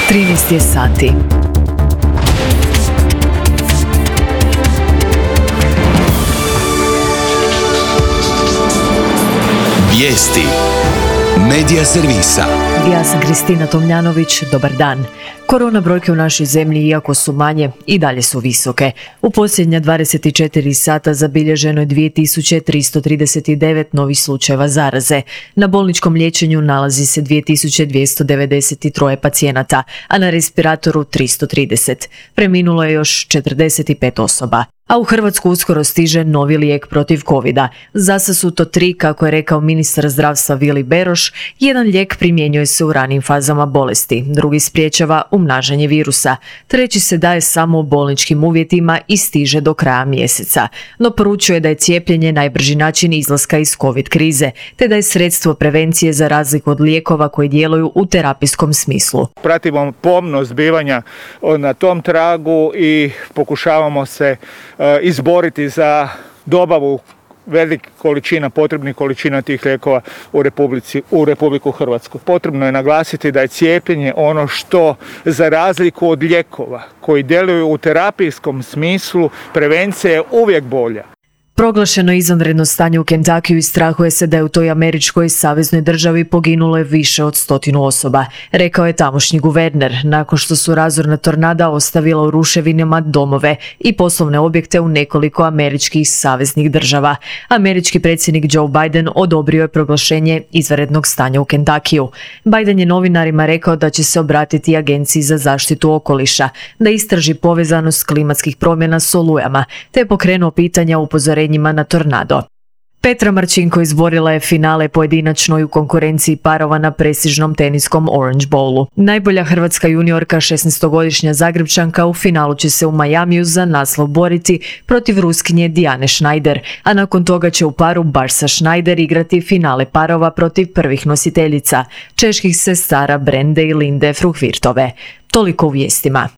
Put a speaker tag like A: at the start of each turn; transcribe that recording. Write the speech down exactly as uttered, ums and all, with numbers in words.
A: trinaest je sati.
B: Vijesti Medija servisa.
A: Ja sam Kristina Tomljanović, dobar dan. Korona brojke u našoj zemlji, iako su manje, i dalje su visoke. U posljednja dvadeset četiri sata zabilježeno je dvije tisuće tristo trideset devet novih slučajeva zaraze. Na bolničkom liječenju nalazi se dvije tisuće dvjesto devedeset tri pacijenata, a na respiratoru tristo trideset. Preminulo je još četrdeset pet osoba. A u Hrvatsku uskoro stiže novi lijek protiv covida. Zasa su to tri, kako je rekao ministar zdravstva Vili Beroš. Jedan lijek primjenjuje se u ranim fazama bolesti, drugi spriječava umnažanje virusa, treći se daje samo u bolničkim uvjetima i stiže do kraja mjeseca. No poručuje da je cijepljenje najbrži način izlaska iz covid krize, te da je sredstvo prevencije za razliku od lijekova koji djeluju u terapijskom smislu.
C: Pratimo pomno zbivanja na tom tragu i pokušavamo se izboriti za dobavu velikih količina, potrebnih količina tih lijekova u Republici, u Republiku Hrvatsku. Potrebno je naglasiti da je cijepljenje ono što, za razliku od lijekova koji djeluju u terapijskom smislu, prevencija je uvijek bolja.
A: Proglašeno izvanredno stanje u Kentakiju i strahuje se da je u toj američkoj saveznoj državi poginulo je više od stotinu osoba, rekao je tamošnji guverner, nakon što su razorna tornada ostavila u ruševinama domove i poslovne objekte u nekoliko američkih saveznih država. Američki predsjednik Joe Biden odobrio je proglašenje izvanrednog stanja u Kentakiju. Biden je novinarima rekao da će se obratiti Agenciji za zaštitu okoliša, da istraži povezanost klimatskih promjena s olujama, te je pokrenuo pitanja upozorenja na tornado. Petra Marčinko izborila je finale pojedinačnoj u konkurenciji parova na prestižnom teniskom Orange Bowlu. Najbolja hrvatska juniorka, šesnaestogodišnja Zagrebčanka, u finalu će se u Majamiju za naslov boriti protiv Ruskinje Dijane Schneider, a nakon toga će u paru Barsa Schneider igrati finale parova protiv prvih nositeljica, čeških sestara Brende i Linde Fruhvirtove. Toliko u vijestima.